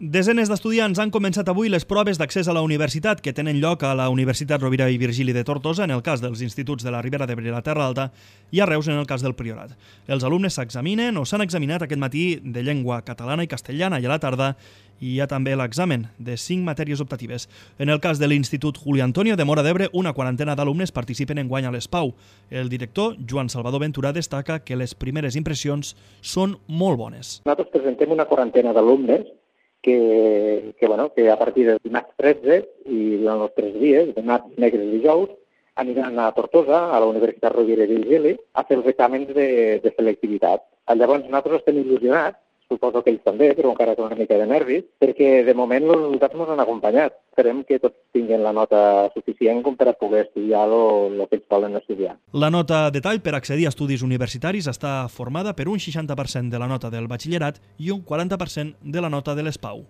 Desenes d'estudiants han començat avui les proves d'accés a la universitat que tenen lloc a la Universitat Rovira i Virgili de Tortosa en el cas dels instituts de la Ribera d'Ebre i la Terra Alta i a Reus en el cas del Priorat. Els alumnes s'examinen o s'han examinat aquest matí de llengua catalana i castellana i a la tarda hi ha també l'examen de 5 matèries optatives. En el cas de l'Institut Julio Antonio de Móra d'Ebre, una quarantena d'alumnes participen enguany a l'ESPAU. El director, Joan Salvador Ventura, destaca que les primeres impressions són molt bones. Nosaltres presentem una quarantena d'alumnes que a partir del dimarts 13 i durant els 3 dies, dimarts, dimecres i dijous, aniran a Tortosa, a la Universitat Rovira i Virgili, a fer els exàmens de selectivitat. Llavors nosaltres estem il·lusionats, suposo que ells també, però encara con una mica de nervis, perquè de moment els resultats ens han acompanyat. Esperem que tots tinguin la nota suficient com per a poder estudiar el que ells volen estudiar. La nota de tall per accedir a estudis universitaris està formada per un 60% de la nota del batxillerat i un 40% de la nota de l'ESPAU.